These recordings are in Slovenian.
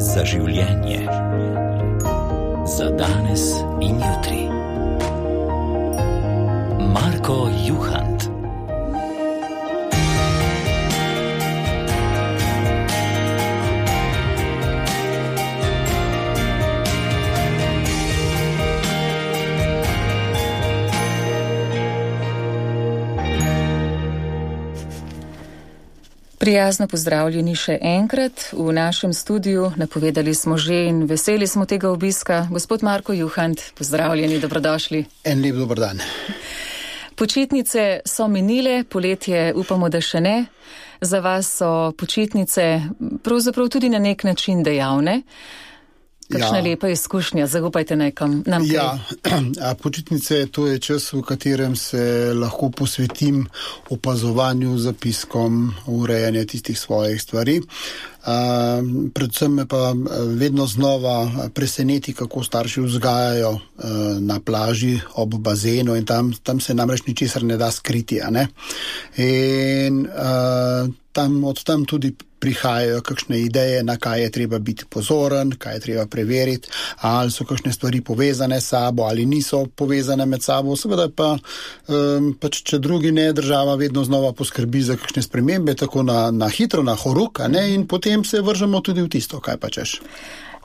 za življenje, za danes in jutri. Marko Juhant. Prijazno pozdravljeni še enkrat v našem studiu. Napovedali smo že in veseli smo tega obiska. Gospod Marko Juhant, pozdravljeni, dobrodošli. En lep dober dan. Počitnice so minile, poletje upamo, da še ne. Za vas so počitnice pravzaprav tudi na nek način dejavne. Kakšna lepa izkušnja, zaupajte nam kaj. Ja, počitnice, to je čas, v katerem se lahko posvetim opazovanju, zapiskom, urejanju tistih svojih stvari. Predvsem me pa vedno znova preseneti, kako starši vzgajajo na plaži ob bazenu in tam se namreč ničesar ne da skriti, a ne? In od tam tudi prihajajo kakšne ideje, na kaj je treba biti pozoren, kaj je treba preveriti, ali so kakšne stvari povezane s sabo, ali niso povezane med sabo. Seveda pa, če drugi ne, država vedno znova poskrbi za kakšne spremembe, tako na hitro, na horuk, ne, in potem se vržemo tudi v tisto, kaj pa češ.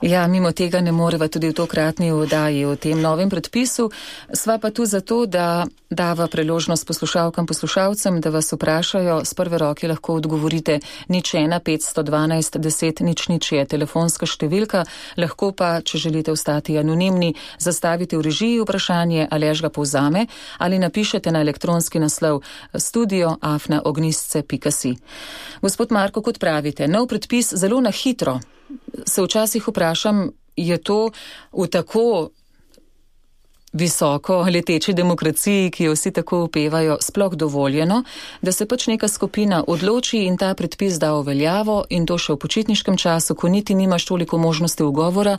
Ja, mimo tega ne moreva tudi v tokratni oddaji o tem novem predpisu. Sva pa tu zato, da dava priložnost poslušalkam, poslušalcem, da vas vprašajo. Z prve roke lahko odgovorite 01 512 10 00 je telefonska številka. Lahko pa, če želite ostati anonimni, zastavite v režiji vprašanje, Aleš ga povzame, ali napišete na elektronski naslov studio@ognistce.si. Gospod Marko, kot pravite, nov predpis zelo na hitro. Se včasih vprašam, je to v tako visoko leteči demokraciji, ki jo vsi tako upevajo, sploh dovoljeno, da se pač neka skupina odloči in ta predpis da v veljavo in to še v počitniškem času, ko niti nimaš toliko možnosti ugovora.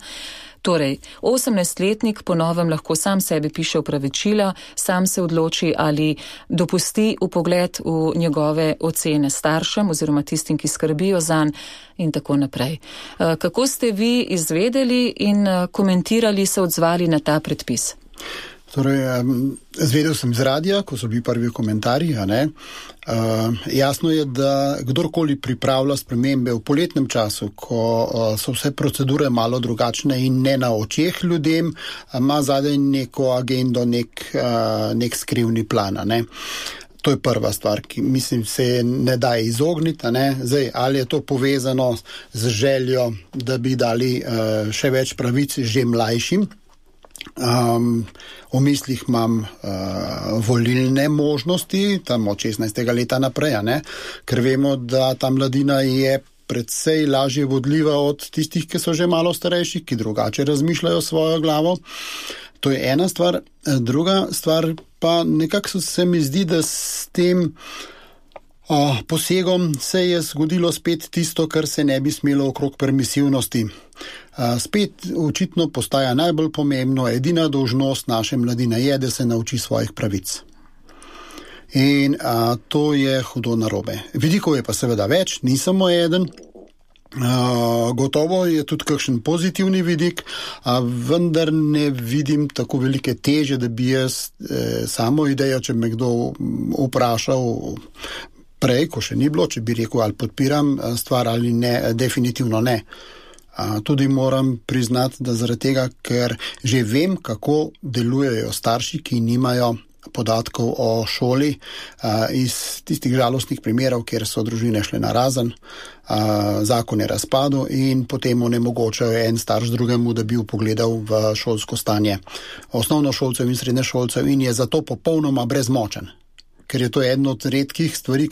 Torej, 18-letnik po novem lahko sam sebi piše opravičila, sam se odloči ali dopusti vpogled v njegove ocene staršem oziroma tistim, ki skrbijo zanj in tako naprej. Kako ste vi izvedeli in komentirali, se odzvali na ta predpis? Torej, zvedel sem z radija, ko so bili prvi komentarji, a ne. Jasno je, da kdorkoli pripravlja spremembe v poletnem času, ko so vse procedure malo drugačne in ne na očeh ljudem, ima zadaj neko agendo, nek skrivni plan, a ne. To je prva stvar, ki mislim se ne da izogniti, a ne. Zdaj, ali je to povezano z željo, da bi dali še več pravic že mlajšim. V mislih imam volilne možnosti, tam od 16. leta naprej, ne? Ker vemo, da ta mladina je predvsej lažje vodljiva od tistih, ki so že malo starejši, ki drugače razmišljajo svojo glavo. To je ena stvar. Druga stvar pa nekako se mi zdi, da s tem posegom se je zgodilo spet tisto, kar se ne bi smelo okrog permisivnosti. Spet očitno postaja najbolj pomembno, edina dolžnost naše mladine je, da se nauči svojih pravic. In to je hudo narobe. Vidikov je pa seveda več, ni samo eden. Gotovo je tudi kakšen pozitivni vidik, vendar ne vidim tako velike teže, da bi jaz samo idejo, če me kdo vprašal prej, ko še ni bilo, če bi rekel, ali podpiram stvar ali ne, definitivno ne. Tudi moram priznati, da zaradi tega, ker že vem, kako delujejo starši, ki nimajo podatkov o šoli, iz tistih žalostnih primerov, kjer so družine šle narazen, zakon je razpadel in potem onemogočajo en starš drugemu, da bi vpogledal v šolsko stanje osnovnošolcev in srednješolcev in je zato popolnoma brezmočen. Ker je to eno od redkih stvari,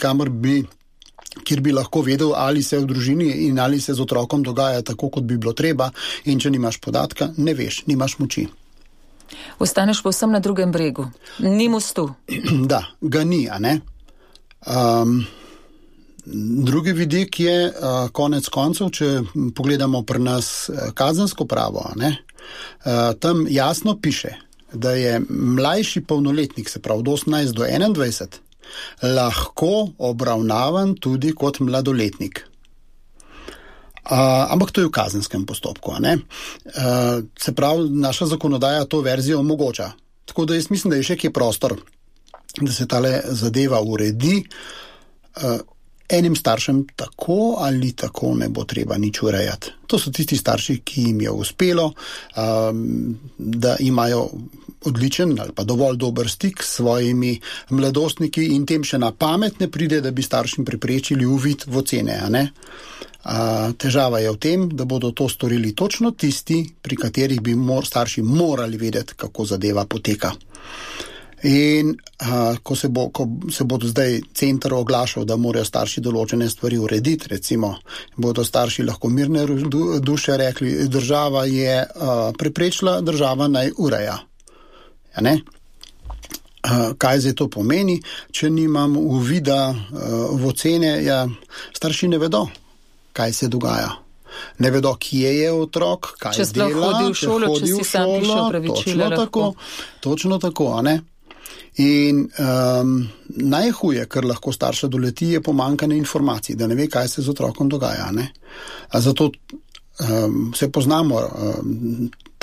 kjer bi lahko vedel, ali se v družini in ali se z otrokom dogaja tako, kot bi bilo treba, in če nimaš podatka, ne veš, nimaš moči. Ostaneš povsem na drugem bregu, ni mostu. Da, ga ni, a ne? Drugi vidik je konec koncev, če pogledamo pri nas kazensko pravo, a ne? Tam jasno piše, da je mlajši polnoletnik, se pravi od 18 do 21, lahko obravnavan tudi kot mladoletnik. Ampak to je v kazenskem postopku. Se pravi, naša zakonodaja to verzijo omogoča. Tako da jaz mislim, da je še kje prostor, da se tale zadeva uredi. Enim staršem tako ali tako ne bo treba nič urejati. To so tisti starši, ki jim je uspelo, da imajo odličen ali pa dovolj dober stik s svojimi mladostniki in tem še na pamet ne pride, da bi staršem preprečili uvid v ocene. Težava je v tem, da bodo to storili točno tisti, pri katerih bi starši morali vedeti, kako zadeva poteka. In ko se bodo zdaj center oglašal, da morajo starši določene stvari urediti, recimo, bodo starši lahko mirne duše rekli, država je preprečila, država naj ureja. Kaj zdaj to pomeni? Če nimam uvida v ocene, starši ne vedo, kaj se dogaja. Ne vedo, kje je otrok, kaj dela, če sploh hodi v šolo, če si sam piše opravičila. Točno tako, In najhuje, kar lahko starša doleti, je pomanjkanje informacij, da ne ve, kaj se z otrokom dogaja. Zato se poznamo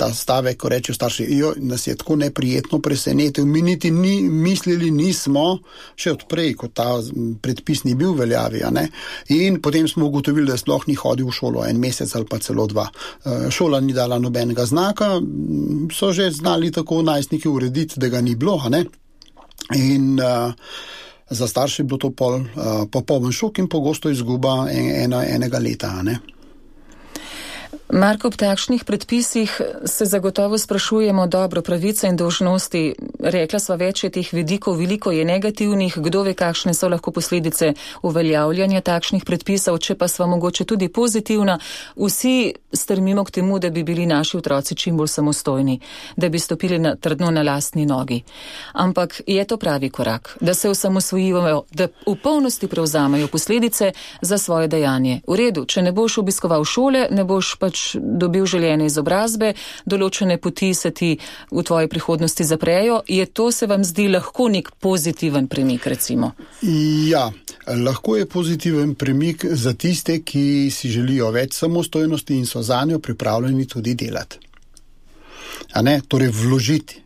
ta stavek, ko rečejo starši, nas je tako neprijetno presenetil, mi niti mislili nismo, še odprej, ko ta predpis ni bil veljavi. In potem smo ugotovili, da sploh ni hodil v šolo 1 mesec ali pa celo 2. Šola ni dala nobenega znaka, so že znali tako najstniki urediti, da ga ni bilo. In za starše je bilo to popoln šok in pogosto izguba enega leta. Marko, ob takšnih predpisih se zagotovo sprašujemo, dobro, pravice in dolžnosti, rekla sva več je teh vidikov, veliko je negativnih, kdo ve, kakšne so lahko posledice uveljavljanja takšnih predpisov, če pa sva mogoče tudi pozitivna, vsi strmimo k temu, da bi bili naši otroci čim bolj samostojni, da bi stopili trdno na lastni nogi. Ampak je to pravi korak, da se osamosvojijo, da v polnosti prevzamejo posledice za svoje dejanje. V redu, če ne boš obiskoval šole, ne boš pač dobil željene izobrazbe, določene poti se ti v tvoji prihodnosti zaprejo. Je to, se vam zdi, lahko nek pozitiven premik, recimo? Ja, lahko je pozitiven premik za tiste, ki si želijo več samostojnosti in so zanjo pripravljeni tudi delati. Torej vložiti.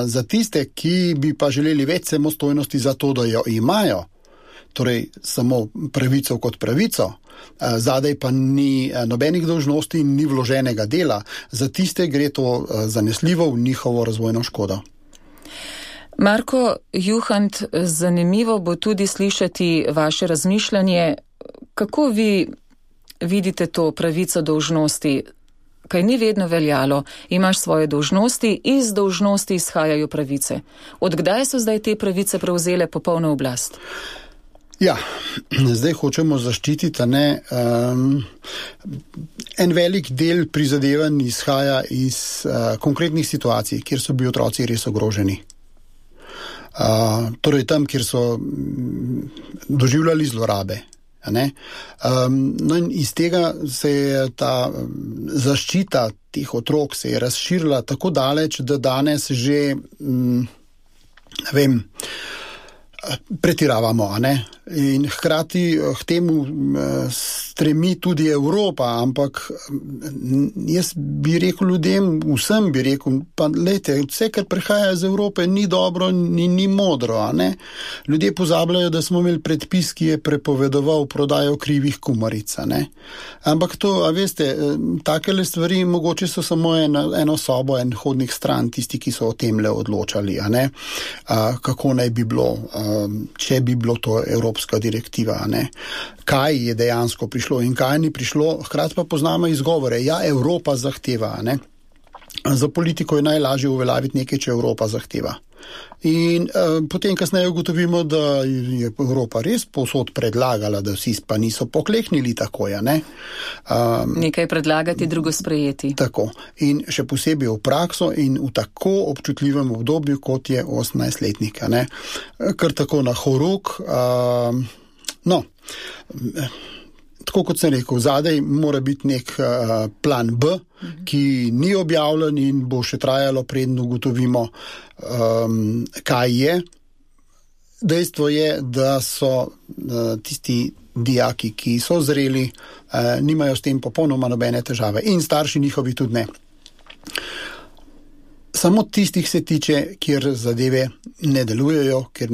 Za tiste, ki bi pa želeli več samostojnosti za to, da jo imajo, torej samo pravico kot pravico, zadaj pa ni nobenih dolžnosti in ni vloženega dela. Za tiste gre to zanesljivo v njihovo razvojno škodo. Marko Juhant, zanimivo bo tudi slišati vaše razmišljanje. Kako vi vidite to pravico dolžnosti? Kaj ni vedno veljalo, imaš svoje dolžnosti, iz dolžnosti izhajajo pravice. Od kdaj so zdaj te pravice prevzele popolno oblast? Ja, zdaj hočemo zaščititi, en velik del prizadevanj izhaja iz konkretnih situacij, kjer so bili otroci res ogroženi. Torej tam, kjer so doživljali zlorabe. No in iz tega se je ta zaščita teh otrok se je razširila tako daleč, da danes že, pretiravamo, in hkrati k temu stremi tudi Evropa, ampak jaz bi rekel ljudem, vsem bi rekel, pa lejte, vse, kar prihaja iz Evrope, ni dobro, ni modro, Ljudje pozabljajo, da smo imeli predpis, ki je prepovedoval prodajo krivih kumaric, Ampak to, veste, takele stvari mogoče so samo eno sobo, en hodnik stran, tisti, ki so o temle odločali, kako naj bi bilo, če bi bilo to evropska direktiva, kaj je dejansko prišlo in kaj ni prišlo, hkrati pa poznamo izgovore, Evropa zahteva, Za politiko je najlažje uveljaviti nekaj, če Evropa zahteva. In potem kasneje ugotovimo, da je Evropa res povsod predlagala, da vsi pa niso pokleknili tako, Nekaj predlagati, drugo sprejeti. Tako. In še posebej v prakso in v tako občutljivem obdobju, kot je 18-letnik, Kar tako na horuk, tako kot sem rekel, zadaj mora biti nek plan B, ki ni objavljen in bo še trajalo, preden ugotovimo, kaj je. Dejstvo je, da so tisti dijaki, ki so zreli, nimajo s tem popolnoma nobene težave in starši njihovi tudi ne. Samo tistih se tiče, kjer zadeve ne delujejo, kjer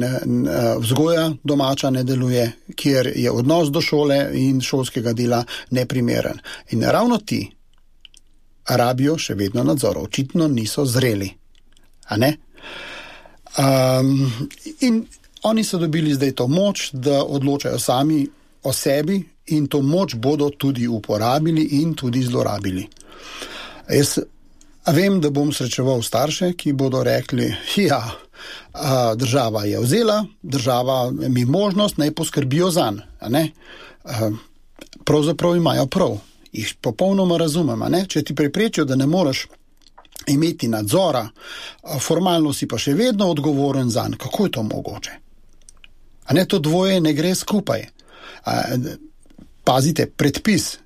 vzgoja domača ne deluje, kjer je odnos do šole in šolskega dela neprimeren. In ravno ti rabijo še vedno nadzor, očitno niso zreli. A ne? In oni so dobili zdaj to moč, da odločajo sami o sebi in to moč bodo tudi uporabili in tudi zlorabili. Jaz vem, da bom srečeval starše, ki bodo rekli, država je vzela, država mi možnost, naj poskrbijo zanj. Pravzaprav imajo prav. Jih popolnoma razumem. Če ti preprečijo, da ne moreš imeti nadzora, formalno si pa še vedno odgovoren zanj. Kako je to mogoče? To dvoje ne gre skupaj. Pazite, predpis,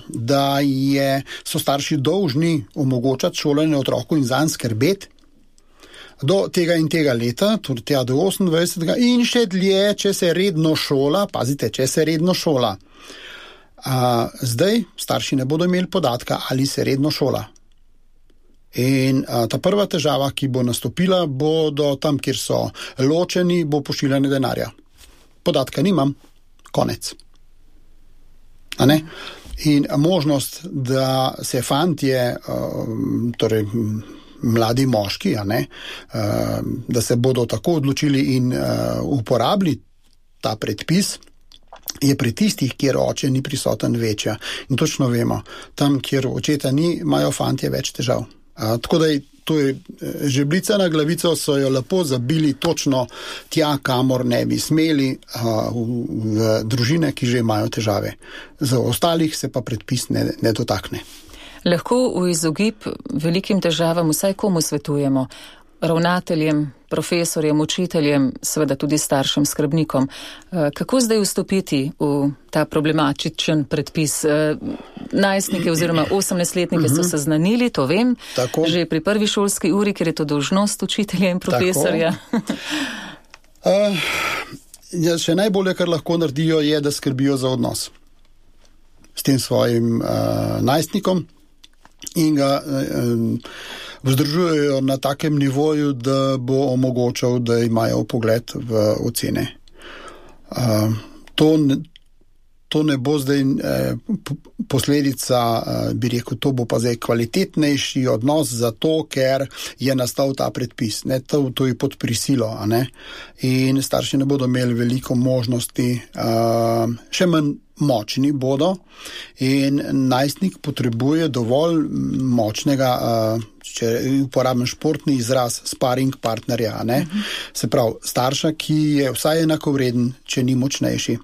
da so starši dolžni omogočati šolanje otroku in zanj skrbeti do tega in tega leta, tudi tja do 28. in še dlje, če se redno šola, pazite, če se redno šola. Zdaj starši ne bodo imeli podatka, ali se redno šola. In ta prva težava, ki bo nastopila, bodo tam, kjer so ločeni, bo pošiljanje denarja. Podatka nimam, konec. In možnost, da se fantje, torej mladi moški, da se bodo tako odločili in uporabili ta predpis, je pri tistih, kjer oče ni prisoten, večja. In točno vemo, tam, kjer očeta ni, imajo fantje več težav. Tako da to je žebljica na glavico, so jo lepo zabili točno tja, kamor ne bi smeli, v družine, ki že imajo težave. Za ostalih se pa predpis ne dotakne. Lahko v izogib velikim težavam vsaj komu svetujemo? Ravnateljem, profesorjem, učiteljem, seveda tudi staršem, skrbnikom. Kako zdaj vstopiti v ta problematičen predpis? Najstnike oziroma 18-letnike so seznanili, to vem, tako. Že pri prvi šolski uri, ker je to dolžnost učitelja in profesorja. Še najbolje, kar lahko naredijo, je, da skrbijo za odnos s tem svojim najstnikom in ga vzdržujejo na takem nivoju, da bo omogočal, da imajo pogled v ocene. To ne bo zdaj posledica, bi rekel, to bo pa zdaj kvalitetnejši odnos zato, ker je nastal ta predpis. To je pod prisilo. In starši ne bodo imeli veliko možnosti, še manj močni bodo in najstnik potrebuje dovolj močnega, če uporabim športni izraz, sparing partnerja. Se pravi, starša, ki je vsaj enakovreden, če ni močnejši.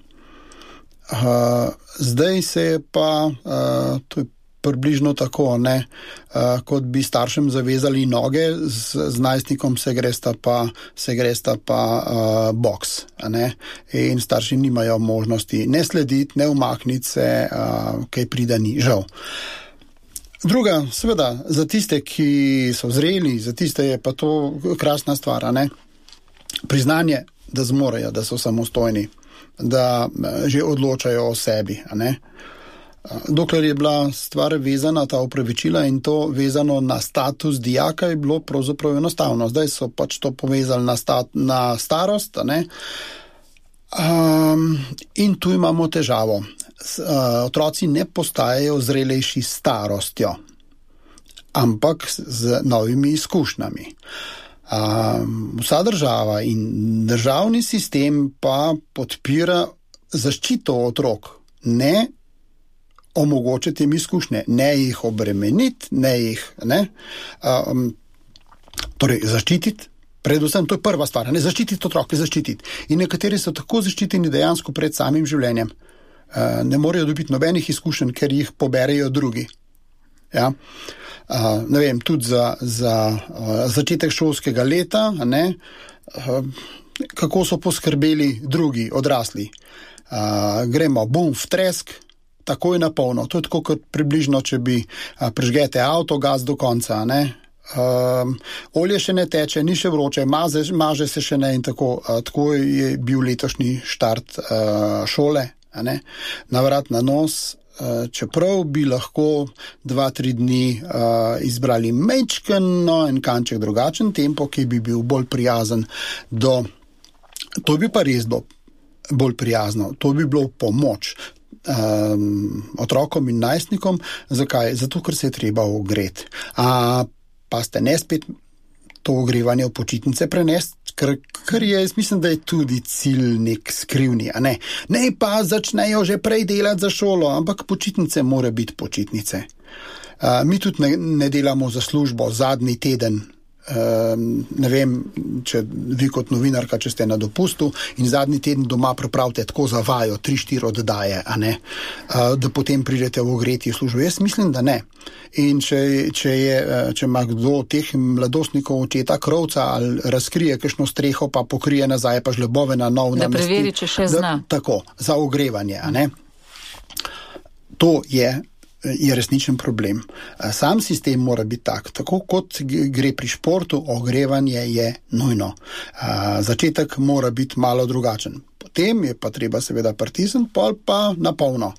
Zdaj se je pa, to je približno tako, kot bi staršem zavezali noge, z najstnikom se gresta pa boks. In starši nimajo možnosti ne slediti, ne umakniti se, kaj prida ni, žal. Druga, seveda, za tiste, ki so zreli, za tiste je pa to krasna stvar, priznanje, da zmorejo, da so samostojni, da že odločajo o sebi, Dokler je bila stvar vezana, ta opravičila in to vezano na status dijaka, je bilo pravzaprav enostavno. Zdaj so pač to povezali na starost, in tu imamo težavo. Otroci ne postajajo zrelejši s starostjo, ampak z novimi izkušnjami. Vsa država in državni sistem pa podpira zaščito otrok, ne omogočiti jim izkušnje, ne jih obremeniti, torej zaščititi, predvsem, to je prva stvar, zaščititi otroke, zaščititi. In nekateri so tako zaščiteni dejansko pred samim življenjem. Ne morejo dobiti nobenih izkušenj, ker jih poberejo drugi. Ne vem, tudi za začetek šolskega leta, kako so poskrbeli drugi, odrasli. Gremo bum v tresk, takoj na polno. To je tako kot približno, če bi prižgete avto, gas do konca, olje še ne teče, ni še vroče, maže se še ne in tako je bil letošnji štart šole, a ne, na vrat na nos, čeprav bi lahko 2-3 dni izbrali majčkeno en kanček drugačen tempo, ki bi bil bolj prijazen to bi pa res bilo bolj prijazno, to bi bilo pomoč otrokom in najstnikom. Zakaj? Zato, ker se je treba ogreti. Pa ste ne spet to ogrevanje v počitnice prenesti, ker je, jaz mislim, da je tudi cilj nek skrivni, a ne? Ne pa začnejo že prej delati za šolo, ampak počitnice mora biti počitnice. Mi tudi ne delamo za službo zadnji teden. Ne vem, če vi kot novinarka, če ste na dopustu in zadnji teden doma pripravite tako za vajo 3-4 oddaje, a ne, da potem pridete v ogreti v službo. Jaz mislim, da ne. In če ima kdo od teh mladostnikov očeta krovca ali razkrije kakšno streho, pa pokrije nazaj, pa žlebove na nov namesti. Da preveri, če še zna. Tako, za ogrevanje, a ne. To je resničen problem. Sam sistem mora biti tako kot gre pri športu, ogrevanje je nujno. Začetek mora biti malo drugačen. Potem je pa treba seveda pritisniti, pol pa na polno.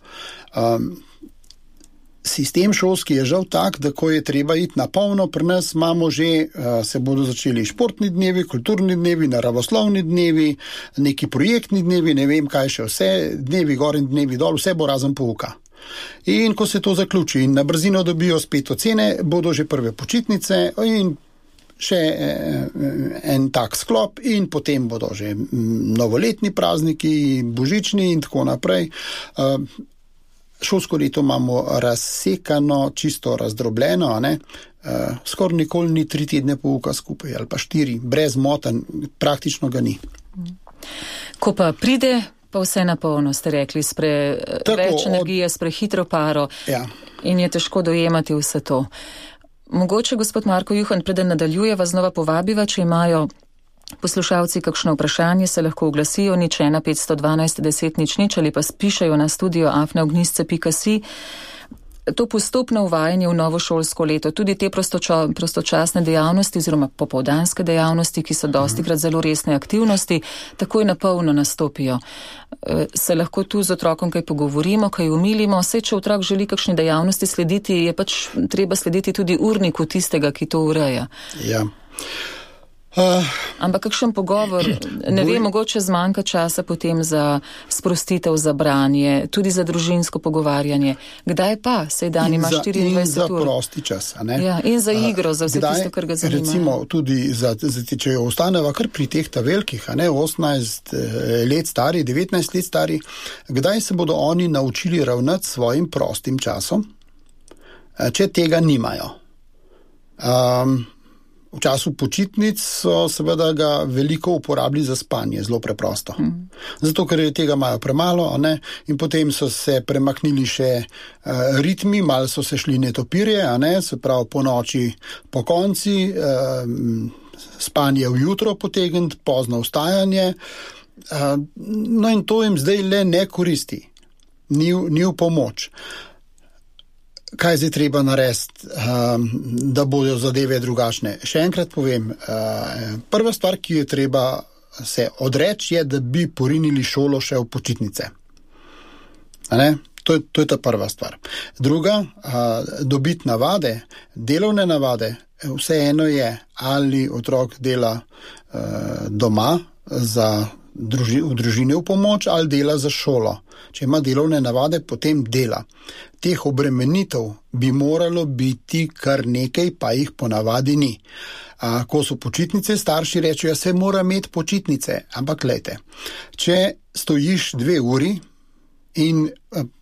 Sistem šolski je žal tak, da ko je treba iti na polno, pri nas imamo že, se bodo začeli športni dnevi, kulturni dnevi, naravoslovni dnevi, neki projektni dnevi, ne vem kaj še vse, dnevi gor in dnevi dol, vse bo razen pouka. In ko se to zaključi in na brzino dobijo spet ocene, bodo že prve počitnice in še en tak sklop in potem bodo že novoletni prazniki, božični in tako naprej. Šolsko leto imamo razsekano, čisto razdrobljeno, a ne? Skoraj nikoli ni 3 tedne pouka skupaj ali pa 4, brez motenj, praktično ga ni. Ko pa pride, pa vse na polno, ste rekli, več energije, s prehitro paro, ja. In je težko dojemati vse to. Mogoče, gospod Marko Juhant, preden nadaljujeva, znova povabiva, če imajo poslušalci kakšno vprašanje, se lahko oglasijo 01 512 10 00 ali pa spišajo na studio@ognjisce.si. To postopno uvajanje v novo šolsko leto, tudi te prostočasne dejavnosti oziroma popoldanske dejavnosti, ki so dostikrat zelo resne aktivnosti, takoj na polno nastopijo. Se lahko tu z otrokom kaj pogovorimo, kaj umilimo, saj če otrok želi kakšne dejavnosti slediti, je pač treba slediti tudi urniku tistega, ki to ureja. Ja. Ampak kakšen pogovor, ne vem, mogoče zmanjka časa potem za sprostitev, za branje, tudi za družinsko pogovarjanje. Kdaj pa? Sej dan ima 24 ur. In za prosti čas, a ne? Ja, in za igro, za vse tisto, kar ga zanima. Recimo tudi, če jo ostaneva kar pri teh velikih, a ne, 18 let stari, 19 let stari, kdaj se bodo oni naučili ravnati s svojim prostim časom, če tega nimajo? V času počitnic so seveda ga veliko uporabili za spanje, zelo preprosto. Zato, ker tega imajo premalo, a ne? In potem so se premaknili še ritmi, malo so se šli netopirje, a ne? Se pravi po noči, po konci, spanje v jutro potegniti, pozno vstajanje. No in to jim zdaj le ne koristi. Ni v pomoč. Kaj zdaj treba narediti, da bodo zadeve drugačne? Še enkrat povem, prva stvar, ki je treba se odreči, je, da bi porinili šolo še v počitnice. To je ta prva stvar. Druga, dobiti navade, delovne navade, vseeno je, ali otrok dela doma v družini v pomoč ali dela za šolo. Če ima delovne navade, potem dela. Teh obremenitev bi moralo biti kar nekaj, pa jih ponavadi ni. Ko so počitnice, starši rečejo, se mora imeti počitnice. Ampak glejte, če stojiš 2 uri in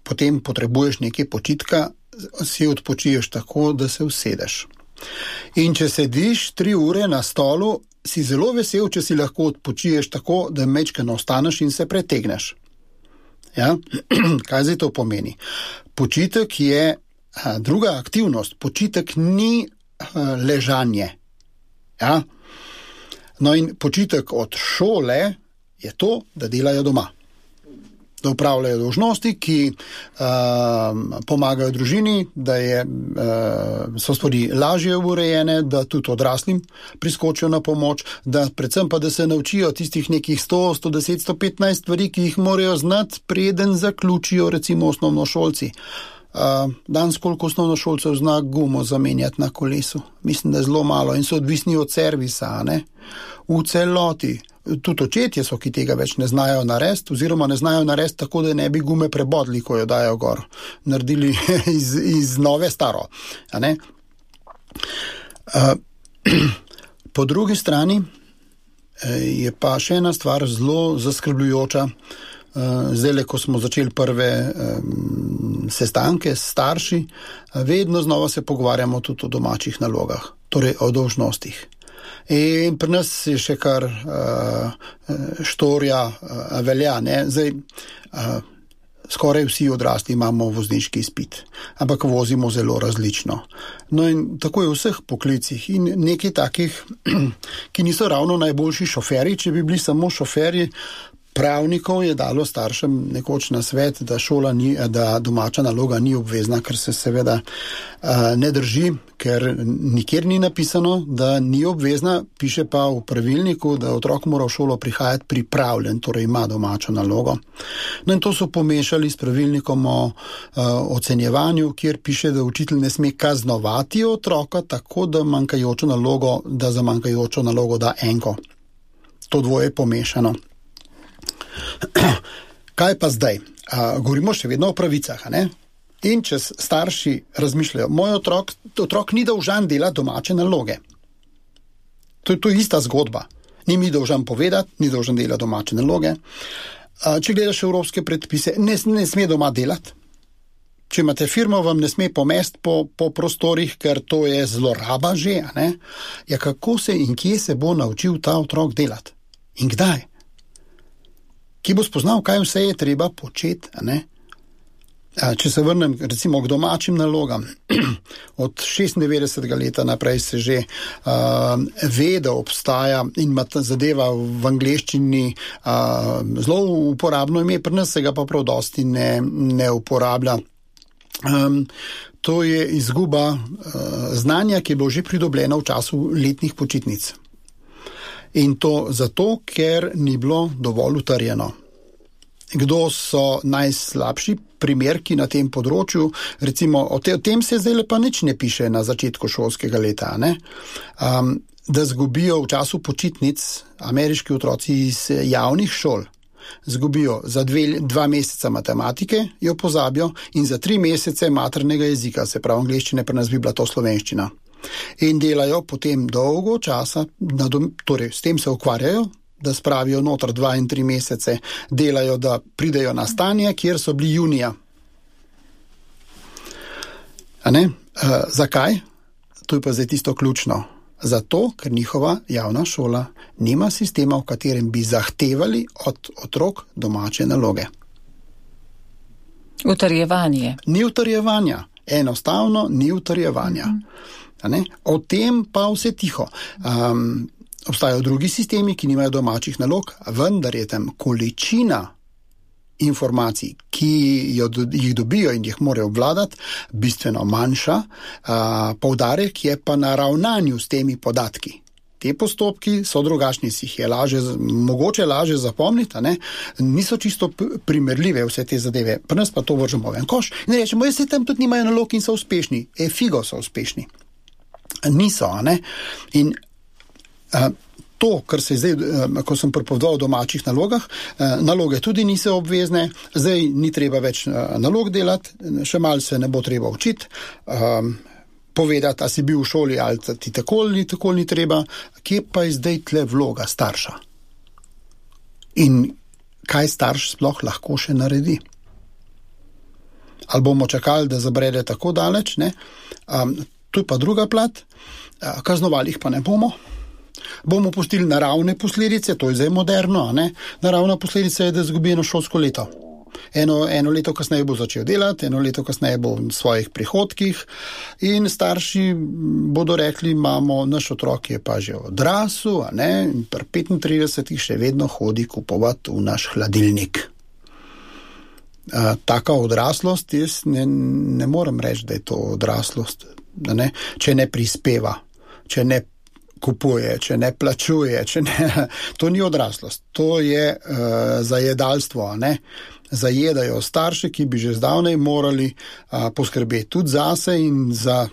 potem potrebuješ nekaj počitka, si odpočiješ tako, da se usedeš. In če sediš 3 ure na stolu, si zelo vesel, če si lahko odpočiješ tako, da majčkeno ostaneš in se pretegneš. Ja? Kaj zdaj to pomeni? Počitek je druga aktivnost. Počitek ni ležanje. Ja? No in počitek od šole je to, da delajo doma. da upravljajo dolžnosti, ki pomagajo družini, da so stvari lažje urejene, da tudi odraslim priskočijo na pomoč, da predvsem pa, da se naučijo tistih nekih 100, 110, 115 stvari, ki jih morajo znati, preden zaključijo recimo osnovnošolci. Danes koliko osnovnošolcev zna gumo zamenjati na kolesu? Mislim, da je zelo malo in so odvisni od servisa, ne? V celoti. Tudi očetje so, ki tega več ne znajo narediti, oziroma ne znajo narediti tako, da ne bi gume prebodli, ko jo dajo gor. Naredili iz nove staro. A ne? Po drugi strani je pa še ena stvar zelo zaskrbljujoča. Zdaj, ko smo začeli prve sestanke s starši, vedno znova se pogovarjamo tudi o domačih nalogah, torej o dolžnostih. In pri nas je še kar štorja velja, ne? Zdaj, skoraj vsi odrasli imamo vozniški izpit, ampak vozimo zelo različno. No in tako je v vseh poklicih in nekaj takih, ki niso ravno najboljši šoferji, če bi bili samo šoferji, pravnikov je dalo staršem nekoč na svet, da domača naloga ni obvezna, kar se seveda ne drži, ker nikjer ni napisano, da ni obvezna, piše pa v pravilniku, da otrok mora v šolo prihajati pripravljen, torej ima domačo nalogo. No in to so pomešali s pravilnikom o ocenjevanju, kjer piše, da učitelj ne sme kaznovati otroka tako, da za manjkajočo nalogo da enko. To dvoje je pomešano. Kaj pa zdaj? Govorimo še vedno o pravicah, ne? In če starši razmišljajo, moj otrok ni dolžan delati domače naloge. To je ista zgodba. Ni mi dolžan povedati, ni dolžan delati domače naloge. Če gledaš evropske predpise, ne sme doma delati. Če imate firmo, vam ne sme pomesti po prostorih, ker to je zloraba že, ne? Ja, kako se in kje se bo naučil ta otrok delati? In kdaj? Ki bo spoznal, kaj vse je treba početi, ne? Če se vrnem recimo k domačim nalogam, od 96. leta naprej se že ve, da obstaja in ima ta zadeva v angleščini zelo uporabno ime, pri nas se ga pa prav dosti ne uporablja. To je izguba znanja, ki je bilo že pridobljeno v času letnih počitnic. In to zato, ker ni bilo dovolj utrjeno. Kdo so najslabši primerki na tem področju? Recimo, o tem se zdaj pa nič ne piše na začetku šolskega leta, ne? Da zgubijo v času počitnic ameriški otroci iz javnih šol. Zgubijo za 2 meseca matematike, jo pozabijo, in za 3 mesece maternega jezika, se pravi angleščine, pri nas bi bila to slovenščina. In delajo potem dolgo časa, torej s tem se ukvarjajo, da spravijo noter 2 in 3 mesece, delajo, da pridejo na stanje, kjer so bili junija. Zakaj? To je pa zdaj tisto ključno. Zato, ker njihova javna šola nima sistema, v katerem bi zahtevali od otrok domače naloge. Utrjevanje. Ni utrjevanja. Enostavno ni utrjevanja. O tem pa vse tiho. Obstajajo drugi sistemi, ki nimajo domačih nalog, vendar je tam količina informacij, ki jih dobijo in jih morajo obvladati, bistveno manjša. Poudarek je pa na ravnanju s temi podatki. Te postopki so drugačni, si jih je mogoče lažje zapomniti, ne? Niso čisto primerljive vse te zadeve. Pri nas pa to vržemo v en koš in rečemo, se tam tudi nimajo nalog in so uspešni. Figo so uspešni. Niso, ne? In to, kar se zdaj, ko sem pripovedoval o domačih nalogah, naloge tudi niso obvezne, zdaj ni treba več nalog delati, še malo se ne bo treba učiti, povedati, a si bil v šoli ali ti tako ni treba, kje pa je zdaj tle vloga starša? In kaj starš sploh lahko še naredi? Ali bomo čakali, da zabrede tako daleč, ne? Tu je pa druga plat, kaznovali jih pa ne bomo. Bomo pustili naravne posledice, to je zdaj moderno, ne? Naravna posledica je, da izgubi eno šolsko leto. Eno leto kasneje bo začel delati, eno leto kasneje bo v svojih prihodkih in starši bodo rekli, naš otrok je pa že odrasel, a ne, in pri 35 še vedno hodi kupovati v naš hladilnik. taka odraslost, jaz ne morem reči, da je to odraslost, če ne prispeva, če ne kupuje, če ne plačuje, to ni odraslost, to je zajedalstvo, zajedajo starše, ki bi že zdavnej morali poskrbeti tudi zase in za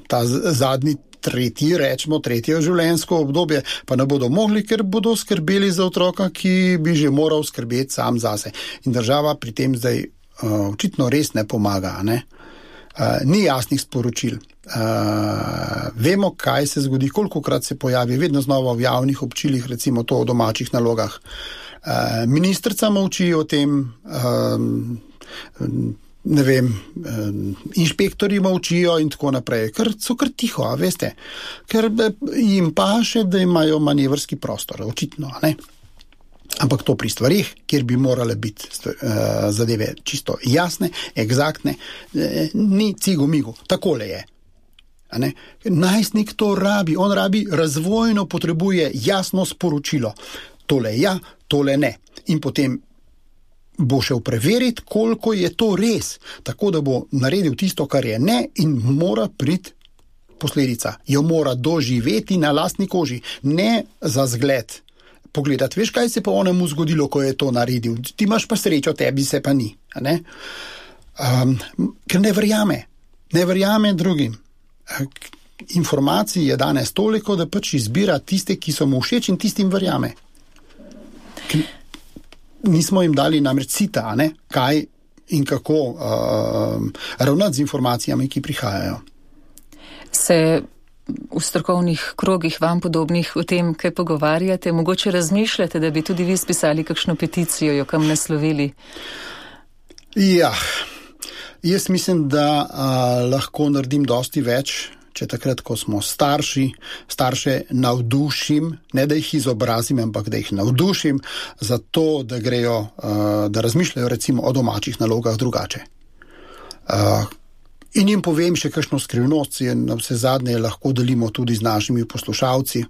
ta zadnji tretje življenjsko obdobje, pa ne bodo mogli, ker bodo skrbeli za otroka, ki bi že moral skrbeti sam zase. In država pri tem zdaj očitno res ne pomaga, ni jasnih sporočil. Vemo, kaj se zgodi, kolikokrat se pojavi, vedno znova v javnih občilih, recimo to o domačih nalogah. Ministrica molči o tem, ne vem, inšpektorji molčijo in tako naprej, ker so kar tiho, veste, ker jim paše, da imajo manevrski prostor, očitno, Ampak to pri stvarih, kjer bi morale biti zadeve čisto jasne, egzaktne, ni cigo-migo, takole je. Najstnik to rabi, on rabi razvojno, potrebuje jasno sporočilo. Tole ja, tole ne. In potem bo šel preveriti, koliko je to res, tako da bo naredil tisto, kar je ne, in mora priti posledica. Jo mora doživeti na lastni koži, ne za zgled. Pogledati, veš, kaj se pa onemu zgodilo, ko je to naredil. Ti imaš pa srečo, tebi se pa ni. Ker ne verjame drugim. Informacij je danes toliko, da pač izbira tiste, ki so mu všeč in tistim verjame. Nismo jim dali namreč sita, kaj in kako ravnati z informacijami, ki prihajajo. Se v strokovnih krogih vam podobnih o tem, kaj pogovarjate, mogoče razmišljate, da bi tudi vi spisali kakšno peticijo, jo kam naslovili? Ja, jaz mislim, da lahko naredim dosti več, če takrat, ko smo starše navdušim, ne da jih izobrazim, ampak da jih navdušim za to, da grejo, da razmišljajo recimo o domačih nalogah drugače. In jim povem še kakšno skrivnost, na vse zadnje lahko delimo tudi z našimi poslušalci.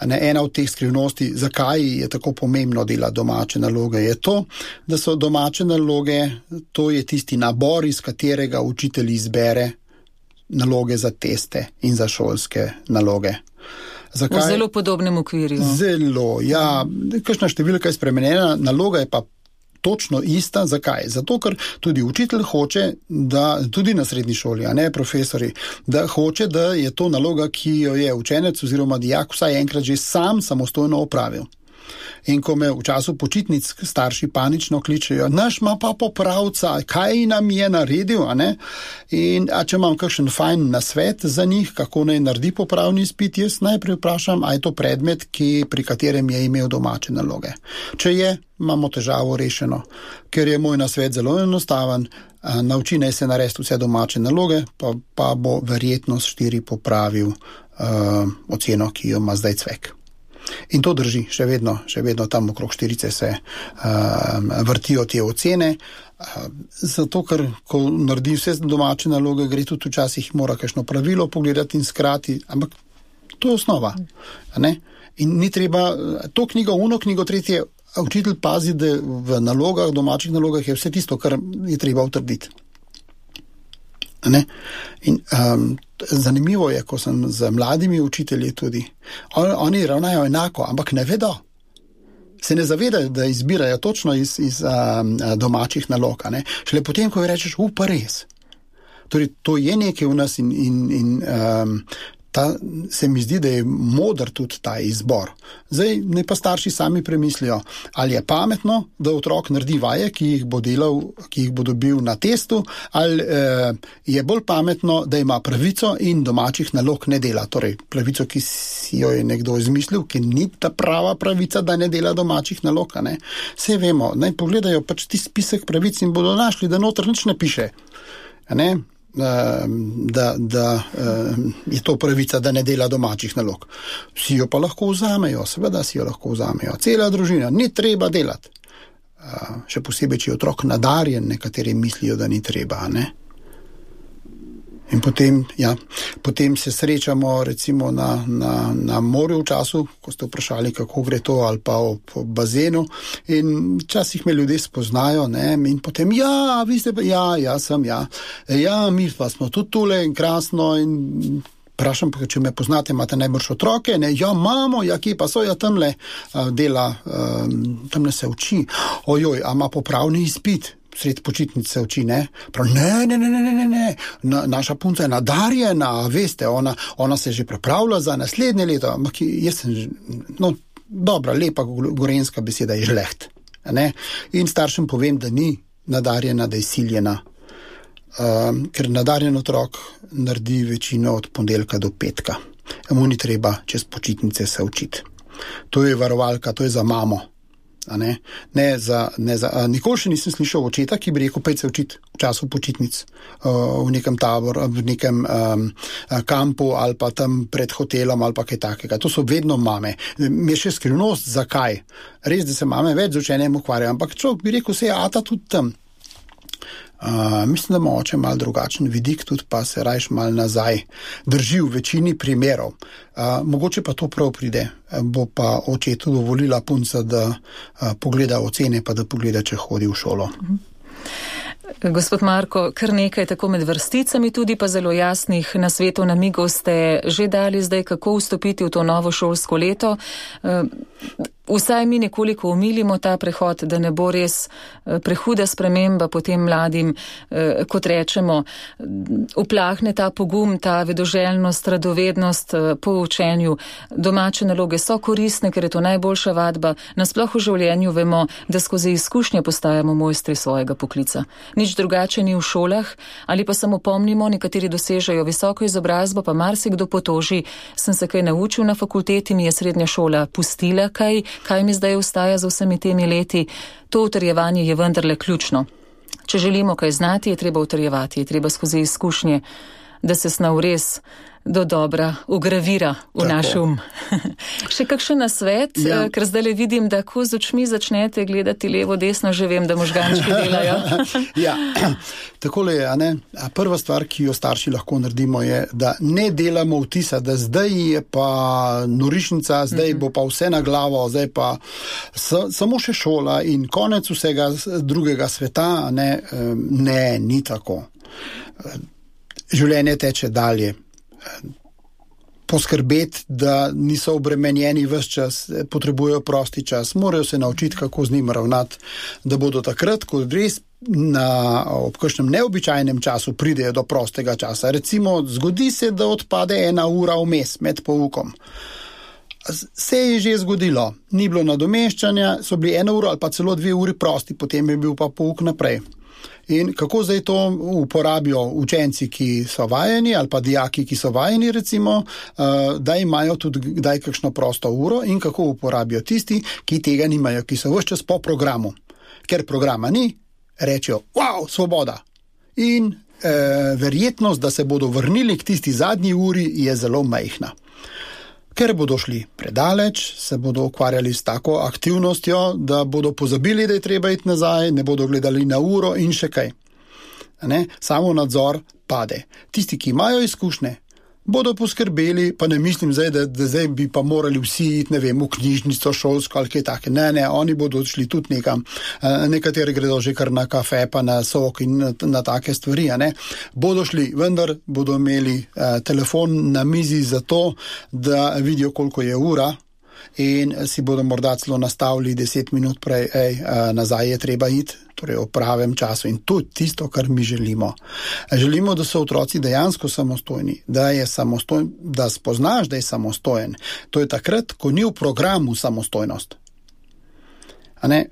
Ena od teh skrivnosti, zakaj je tako pomembno delati domače naloge, je to, da so domače naloge, to je tisti nabor, iz katerega učitelj izbere naloge za teste in za šolske naloge. Zakaj? V zelo podobnem okvirju. Zelo, ja. Kakšna številka je spremenjena, naloga je pa točno ista. Zakaj? Zato, ker tudi učitelj hoče, da tudi na srednji šoli, profesori, da hoče, da je to naloga, ki jo je učenec oziroma dijak vsaj enkrat že sam samostojno opravil. In ko me v času počitnic starši panično kličejo, naš ima pa popravca, kaj nam je naredil, In če imam kakšen fajn nasvet za njih, kako naj naredi popravni izpit, jaz najprej vprašam, a je to predmet, pri katerem je imel domače naloge. Če je, imamo težavo rešeno, ker je moj nasvet zelo enostaven, nauči naj se narediti vse domače naloge, pa bo verjetno s 4 popravil oceno, ki jo ima zdaj cvek. In to drži, še vedno tam okrog 4 se vrtijo te ocene, zato ker, ko naredi vse domače naloge, gre tudi včasih mora kakšno pravilo pogledati in skrati, ampak to je osnova. In ni treba, to knjigo, tretje, učitelj pazi, da v nalogah, domačih nalogah je vse tisto, kar je treba utrditi. In zanimivo je, ko sem z mladimi učitelji tudi, oni ravnajo enako, ampak ne vedo. Se ne zavedajo, da izbirajo točno iz domačih nalog. Šele potem, ko rečeš, pa res. Torej, to je nekaj v nas in se mi zdi, da je moder tudi ta izbor. Zdaj, ne pa starši sami premislijo, ali je pametno, da otrok naredi vaje, ki jih bo delal, ki jih bo dobil na testu, ali je bolj pametno, da ima pravico in domačih nalog ne dela. Torej, pravico, ki si jo je nekdo izmislil, ki ni ta prava pravica, da ne dela domačih nalog. Saj vemo, naj pogledajo pač ti spisek pravic in bodo našli, da noter nič ne piše. Da je to pravica, da ne dela domačih nalog. Vsi jo pa lahko vzamejo, seveda si jo lahko vzamejo. Cela družina, ni treba delati. Še posebej, če je otrok nadarjen, nekateri mislijo, da ni treba. In potem se srečamo recimo na morju v času, ko ste vprašali, kako gre to, ali pa v bazenu, in včasih me ljudje spoznajo, ne, in potem, vi ste pa, sem, mi pa smo tudi tule in krasno, in vprašam, če me poznate, imate najbrž otroke, ne, imamo, kje pa so, tamle dela, tamle se uči, a ima popravni izpit, sred počitnic se uči, ne, prav, ne, naša punca je nadarjena, veste, ona se že pripravlja za naslednje leto, ampak jaz sem, dobra, lepa gorenjska beseda je žleht, ne, in staršem povem, da ni nadarjena, da je siljena, ker nadarjen otrok naredi večino od ponedeljka do petka. Mu ni treba čez počitnice se učiti. To je varovalka, to je za mamo. Nikoli še nisem slišal očeta, ki bi rekel, pejte se učiti v času počitnic v nekem taboru, v nekem kampu ali pa tam pred hotelom ali pa kaj takega. To so vedno mame. Mi je še skrivnost, zakaj. Res, da se mame več z učenjem ukvarjajo, ampak človek bi rekel, se je ata tudi tam. Mislim, da ima oče malo drugačen vidik, tudi pa se rajš malo nazaj drži v večini primerov. Mogoče pa to prav pride, bo pa očetu dovolila punca, da pogleda ocene, pa da pogleda, če hodi v šolo. Gospod Marko, kar nekaj tako med vrsticami, tudi pa zelo jasnih nasvetov, namigov ste že dali zdaj, kako vstopiti v to novo šolsko leto. Vsaj mi nekoliko omilimo ta prehod, da ne bo res prehuda sprememba potem mladim, kot rečemo, uplahne ta pogum, ta vedoželjnost, radovednost po učenju. Domače naloge so koristne, ker je to najboljša vadba. Nasploh v življenju vemo, da skozi izkušnje postajamo mojstri svojega poklica. Nič drugače ni v šolah, ali pa samo pomnimo, nekateri dosežejo visoko izobrazbo, pa marsikdo potoži, sem se kaj naučil na fakulteti, mi je srednja šola pustila kaj mi zdaj ostaja za vsemi temi leti. To utrjevanje je vendarle ključno. Če želimo kaj znati, je treba utrjevati, je treba skozi izkušnje, da se snov res do dobra ugravira v naš um. Še kakšen nasvet, ker zdaj le vidim, da ko z očmi začnete gledati levo, desno, že vem, da možgančki delajo. Takole je, ne? Prva stvar, ki jo starši lahko naredimo, je, da ne delamo vtisa, da zdaj je pa norišnica, zdaj bo pa vse na glavo, zdaj pa samo še šola in konec vsega drugega sveta, ne, ni tako. Življenje teče dalje. Poskrbeti, da niso obremenjeni ves čas, potrebujejo prosti čas, morajo se naučiti, kako z njim ravnati, da bodo takrat, ko res ob kakšnem neobičajnem času pridejo do prostega časa. Recimo, zgodi se, da odpade 1 ura vmes med poukom. Se je že zgodilo, ni bilo nadomeščanja, so bili 1 ura ali pa celo 2 uri prosti, potem je bil pa pouk naprej. In kako zdaj to uporabijo učenci, ki so vajeni, ali pa dijaki, ki so vajeni, recimo, da imajo tudi kdaj kakšno prosto uro, in kako uporabijo tisti, ki tega nimajo, ki so ves čas po programu. Ker programa ni, rečejo, svoboda. In verjetnost, da se bodo vrnili k tisti zadnji uri, je zelo majhna. Ker bodo šli predaleč, se bodo ukvarjali s tako aktivnostjo, da bodo pozabili, da je treba iti nazaj, ne bodo gledali na uro in še kaj. Samo nadzor pade. Tisti, ki imajo izkušnje, bodo poskrbeli, pa ne mislim zdaj, da zdaj bi pa morali vsi iti, v knjižnico, šolsko ali kaj take. Ne, oni bodo šli tudi nekam. Nekateri gredo že kar na kafe, pa na sok in na take stvari. Bodo šli, vendar bodo imeli telefon na mizi za to, da vidijo, koliko je ura, in si bodo morda celo nastavili 10 minut prej, nazaj je treba iti, torej v pravem času, in to je tisto, kar mi želimo. Želimo, da so otroci dejansko samostojni, da spoznaš, da je samostojen. To je takrat, ko ni v programu samostojnost.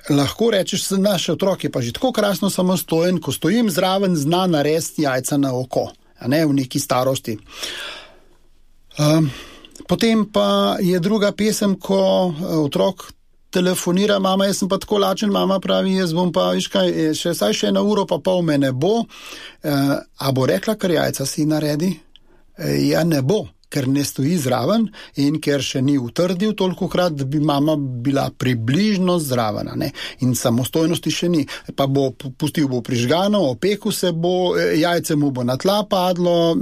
Lahko rečeš, naš otrok je pa že tako krasno samostojen, ko stojim zraven, zna narediti jajca na oko, v neki starosti. Potem pa je druga pesem, ko otrok telefonira, mama, jaz sem pa tako lačen, mama pravi, jaz bom pa, še 1 uro pa pol me ne bo. A bo rekla, kar jajca si naredi? Ja, ne bo, ker ne stoji zraven in ker še ni utrdil tolikokrat, da bi mama bila približno zraven, ne? In samostojnosti še ni. Pa bo pustil bo prižgano, opekel se bo, jajce mu bo na tla padlo,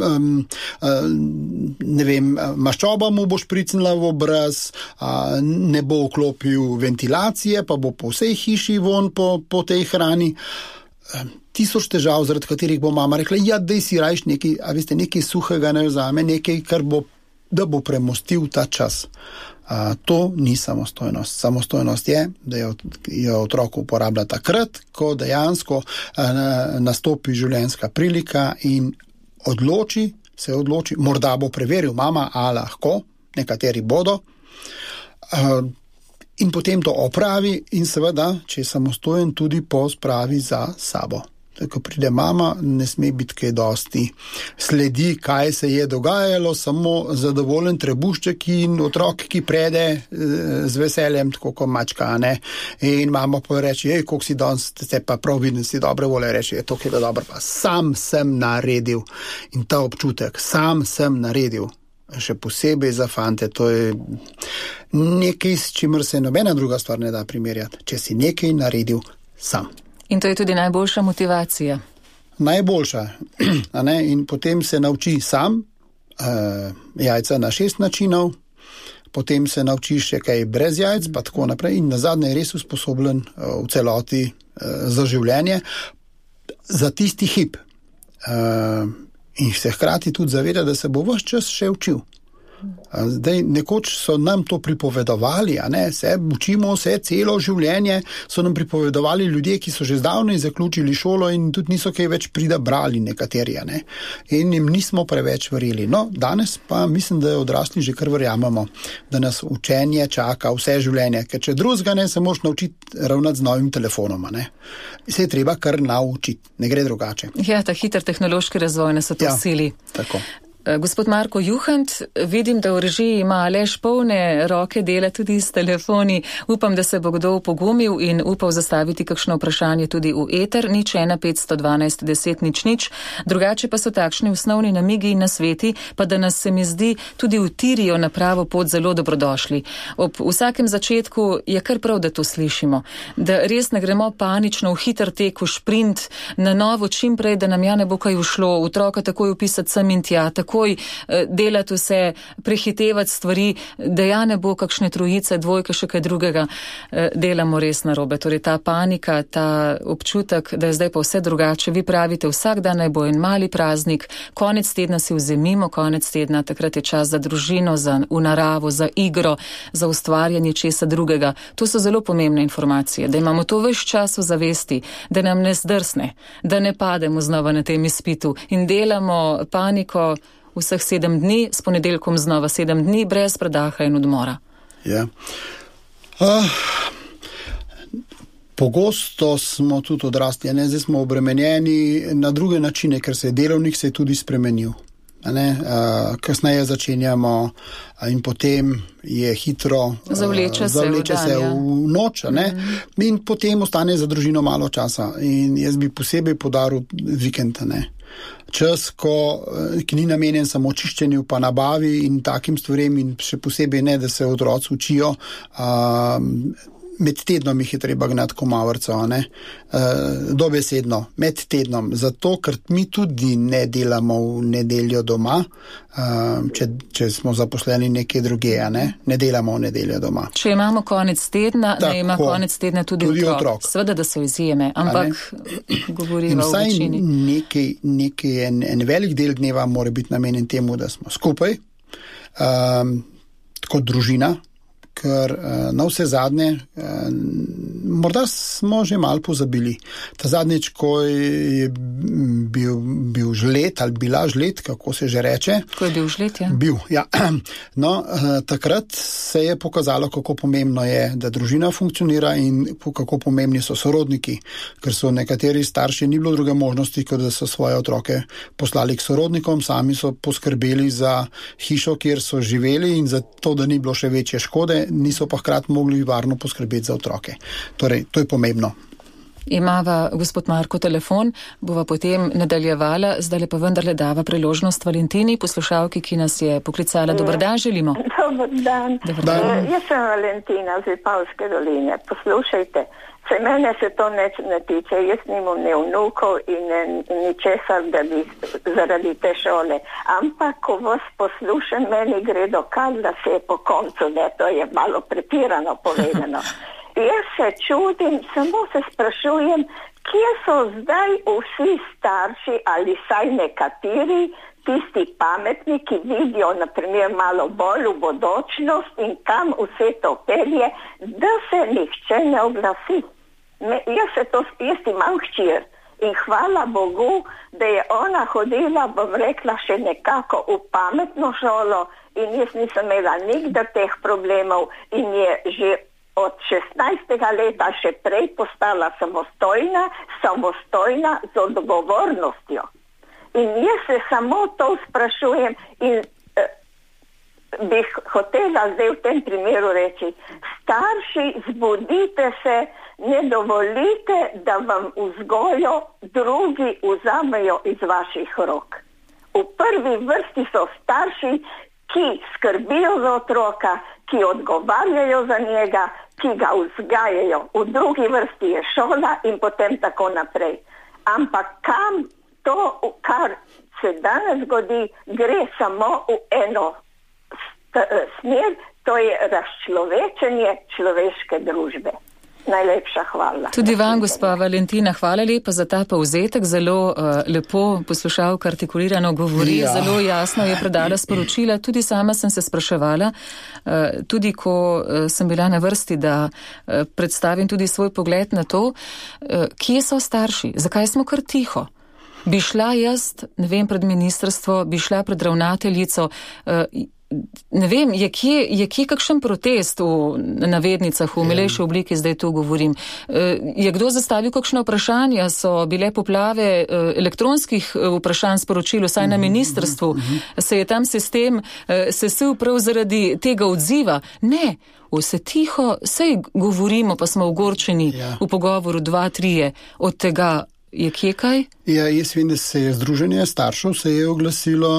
ne vem, maščoba mu bo špricnila v obraz, ne bo vklopil ventilacije, pa bo po vsej hiši von po tej hrani. 1000 težav, zaradi katerih bo mama rekla, ja, daj si rajš nekaj, a veste, nekaj suhega ne vzame, nekaj, da bo premostil ta čas. To ni samostojnost. Samostojnost je, da jo otrok uporablja takrat, ko dejansko nastopi življenjska prilika in se odloči, morda bo preveril mama, a lahko, nekateri bodo, in potem to opravi in seveda, če je samostojen, tudi pospravi za sabo. Ko pride mama, ne sme biti kaj dosti sledi, kaj se je dogajalo, samo zadovoljen trebušček in otrok, ki prede z veseljem, tako kot mačka, ne? In mama pa reče, koliko si danes, ste pa prav vidni, si dobre vole, reče, to je dobro, pa sam sem naredil. In ta občutek, sam sem naredil, še posebej za fante, to je nekaj, s čimer se nobena druga stvar ne da primerjati, če si nekaj naredil sam. In to je tudi najboljša motivacija. Najboljša. In potem se nauči sam jajca na 6 načinov, potem se nauči še kaj brez jajc, pa tako naprej. In nazadnje je res usposobljen v celoti za življenje, za tisti hip. In se hkrati tudi zaveda, da se bo ves čas še učil. Zdaj, nekoč so nam to pripovedovali, se učimo vse celo življenje, so nam pripovedovali ljudje, ki so že zdavnaj zaključili šolo in tudi niso kaj več brali nekateri, in jim nismo preveč verjeli. No, danes pa mislim, da odrasli že kar verjamemo, da nas učenje čaka vse življenje, ker če drugega ne, se moraš naučiti ravnati z novim telefonom, se je treba kar naučiti, ne gre drugače. Ja, ta hiter tehnološki razvoj nas to sili. Tako. Gospod Marko Juhant, vidim, da v režiji ima Aleš polne roke dela tudi s telefoni. Upam, da se bo kdo pogumil in upal zastaviti kakšno vprašanje tudi v eter, 015 512 10 00. Drugače pa so takšni osnovni namigi in nasveti, pa da nas, se mi zdi, tudi utirijo na pravo pot zelo dobrodošli. Ob vsakem začetku je kar prav, da to slišimo. Da res ne gremo panično v hiter tek, v šprint, na novo čim prej, da nam ja ne bo kaj ušlo, otroka takoj upisati sem in tja, takoj delati vse, prehitevati stvari, da ja ne bo kakšne trojice, dvojke, še kaj drugega, delamo res narobe. Torej ta panika, ta občutek, da je zdaj pa vse drugače. Vi pravite, vsak dan naj bo en mali praznik, konec tedna si vzemimo, konec tedna, takrat je čas za družino, v naravo, za igro, za ustvarjanje česa drugega. To so zelo pomembne informacije, da imamo to ves čas v zavesti, da nam ne zdrsne, da ne pademo znova na tem izpitu in delamo paniko vseh 7 dni, s ponedeljkom znova 7 dni, brez predaha in odmora. Ja. Pogosto smo tudi odrasli, zdaj smo obremenjeni na druge načine, ker se je delovnik se je tudi spremenil. Kasneje začenjamo in potem je hitro zavleče se v noč, in potem ostane za družino malo časa. In jaz bi posebej podaril vikend, čas, ki ni namenjen samo čiščenju pa nabavi in takim stvarem, in še posebej ne, da se otroci učijo. Med tednom jih je treba gnati komavrco, dobesedno, med tednom, zato, ker mi tudi ne delamo v nedeljo doma, če smo zaposleni nekje druge, ne delamo v nedeljo doma. Če imamo konec tedna, ne ima konec tedna tudi otrok. Seveda, da so izjeme, ampak govorimo o večini. In nekaj, en velik del dneva mora biti namenjen temu, da smo skupaj, kot družina, ker na vse zadnje, morda smo že malo pozabili. Ta zadnjič, ko je bil žled ali bila žled, kako se že reče. Ko je bil žled, ja. Bil, ja. No, takrat se je pokazalo, kako pomembno je, da družina funkcionira in kako pomembni so sorodniki, ker so nekateri starši ni bilo druge možnosti, kot da so svoje otroke poslali k sorodnikom, sami so poskrbeli za hišo, kjer so živeli in za to, da ni bilo še večje škode, niso pa hkrati mogli varno poskrbeti za otroke. Torej, to je pomembno. Imava gospod Marko telefon, bova potem nadaljevala, zdaj pa vendarle dava priložnost Valentini, poslušalki, ki nas je poklicala. Dobar dan, želimo. Dobar dan. Jaz sem Valentina z Vipavske doline. Poslušajte, se mene se to ne tiče, jaz nimam ne vnukov in ničesar, da bi zaradi te šole. Ampak, ko vas poslušam, meni gre dokaz, da se je po koncu, da to je malo pretirano povedano. Jaz se čudim, samo se sprašujem, kje so zdaj vsi starši ali saj nekateri, tisti pametni, ki vidijo naprimer malo bolj v bodočnost in kam vse to pelje, da se nihče ne oglasi. Jaz imam hčer in hvala Bogu, da je ona hodila, bom rekla, še nekako v pametno šolo in jaz nisem imela nikdar teh problemov in je že od 16. leta še prej postala samostojna z odgovornostjo. In jaz se samo to sprašujem in bi hotela zdaj v tem primeru reči, starši, zbudite se, ne dovolite, da vam vzgojo drugi vzamejo iz vaših rok. V prvi vrsti so starši, ki skrbijo za otroka, ki odgovarjajo za njega, ki ga vzgajajo. V drugi vrsti je šola in potem tako naprej. Ampak kam to, kar se danes zgodi, gre samo v eno smer, to je razčlovečenje človeške družbe. Najlepša hvala. Tudi vam, gospa Valentina, hvala lepa za ta povzetek. Zelo lepo poslušalka artikulirano govori, zelo jasno je predala sporočila. Tudi sama sem se spraševala, tudi ko sem bila na vrsti, da predstavim tudi svoj pogled na to, kje so starši, zakaj smo kar tiho. Bi šla jaz, ne vem, pred ministrstvo, bi šla pred ravnateljico, ne vem, je kje kakšen protest v navednicah, v milejši obliki, zdaj tu govorim. Je kdo zastavil kakšno vprašanje? So bile poplave elektronskih vprašanj sporočil, vsaj na ministrstvu? Se je tam sistem sesul prav zaradi tega odziva? Ne, vse tiho, sej govorimo, pa smo ogorčeni v pogovoru 2-3 od tega. Je kje kaj? Ja, jaz vem, da se je združenje staršev se je oglasilo,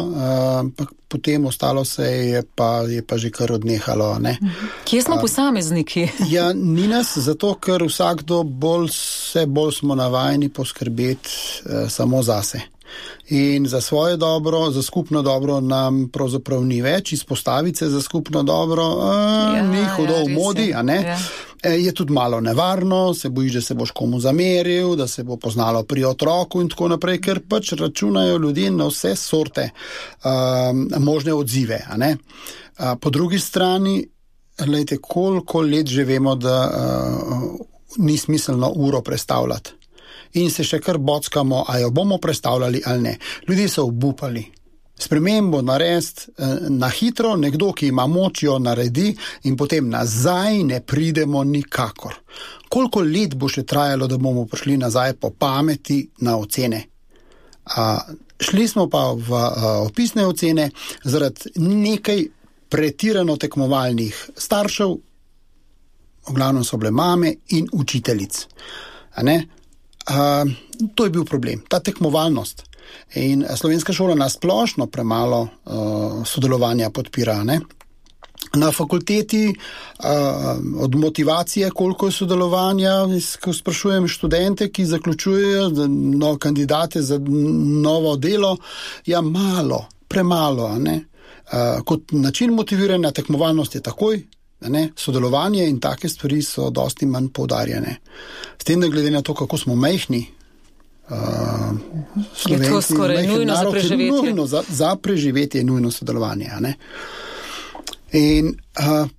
pa potem ostalo se je pa že kar odnehalo. Ne? Kje smo posamezniki? Ja, ni nas, zato ker vsakdo bolj smo navajeni poskrbeti samo zase. In za svoje dobro, za skupno dobro nam pravzaprav ni več, izpostaviti se za skupno dobro, ni hudo v modi, a ne? Ja. Je tudi malo nevarno, se bojiš, da se boš komu zameril, da se bo poznalo pri otroku in tako naprej, ker pač računajo ljudje na vse sorte možne odzive, a ne? Po drugi strani, glejte, koliko let že vemo, da ni smiselno uro prestavljati. In se še kar bockamo, a jo bomo prestavljali ali ne. Ljudje so obupali. Spremembo narediti na hitro, nekdo, ki ima moč, jo naredi in potem nazaj ne pridemo nikakor. Koliko let bo še trajalo, da bomo prišli nazaj po pameti na ocene? Šli smo pa v opisne ocene zaradi nekaj pretirano tekmovalnih staršev, v glavnem so bile mame in učiteljic. A ne? To je bil problem, ta tekmovalnost. In slovenska šola nasplošno premalo sodelovanja podpira. Ne? Na fakulteti od motivacije, koliko je sodelovanja, ko sprašujem študente, ki zaključujejo kandidate za novo delo, ja malo, premalo. Ne? Kot način motiviranja tekmovalnost je takoj, ne? Sodelovanje in take stvari so dosti manj poudarjene. S tem, da glede na to, kako smo majhni, je to skoraj nujno za preživetje. Za preživetje je nujno sodelovanje. Ne? In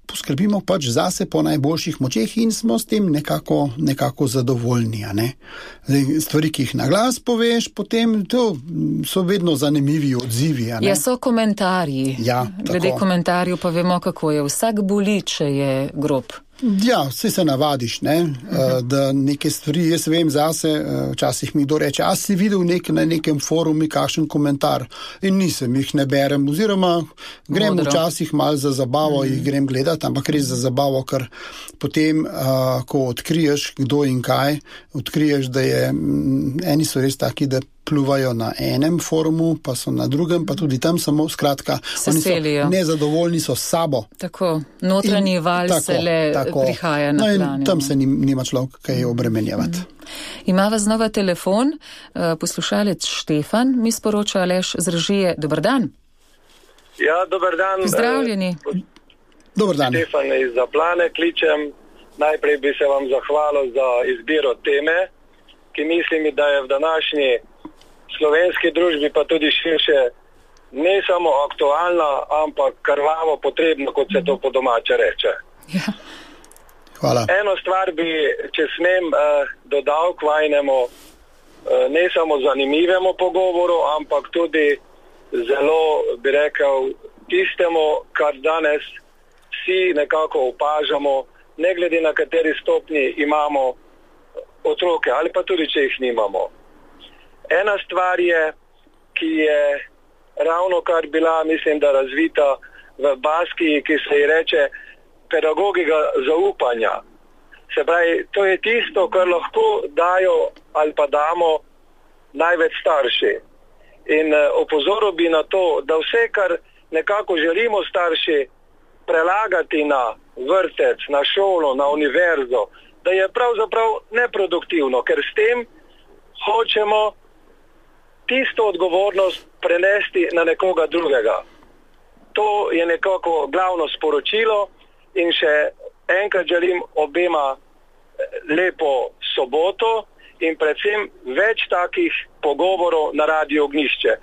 poskrbimo pač zase po najboljših močeh in smo s tem nekako zadovoljni. Ne? Stvari, ki jih na glas poveš, potem to so vedno zanimivi odzivi. Ne? Ja, so komentarji. Ja, glede komentarjev pa vemo, kako je. Vsak boli, če je grob. Ja, vse se navadiš, ne? Da neke stvari, jaz vem zase, včasih mi kdo reče, a si videl na nekem forumu kakšen komentar in nisem, jih ne berem, oziroma grem včasih malo za zabavo, jih grem gledati, ampak res za zabavo, ker potem, ko odkriješ kdo in kaj, odkriješ, da eni so res taki, da pluvajo na enem forumu, pa so na drugem, pa tudi tam samo, skratka, oni so nezadovoljni so s sabo. Tako, notranji val se le prihaja na plan. Tam se nima človek kaj obremenjevati. Imava znova telefon, poslušalec Štefan, mi sporoča Aleš z režije. Dobar dan. Ja, dobar dan. Pozdravljeni. Dobar dan. Štefan iz Zaplane kličem. Najprej bi se vam zahvalil za izbiro teme, ki mislim, da je v današnji slovenski družbi, pa tudi širše, ne samo aktualna, ampak krvavo potrebno, kot se to po domače reče. Ja. Hvala. Eno stvar bi, če smem, dodal k vajnemu, ne samo zanimivemu pogovoru, ampak tudi zelo, bi rekel, tistemu, kar danes vsi nekako opažamo, ne glede na kateri stopni imamo otroke, ali pa tudi, če jih nimamo. Ena stvar je, ki je ravno kar bila, mislim, da razvita v Baskiji, ki se ji reče pedagogika zaupanja. Se pravi, to je tisto, kar lahko dajo ali pa damo največ starši. In opozoril bi na to, da vse, kar nekako želimo starši prelagati na vrtec, na šolo, na univerzo, da je pravzaprav neproduktivno, ker s tem hočemo tisto odgovornost prenesti na nekoga drugega. To je nekako glavno sporočilo in še enkrat želim obema lepo soboto in predvsem več takih pogovorov na Radio Ognjišče.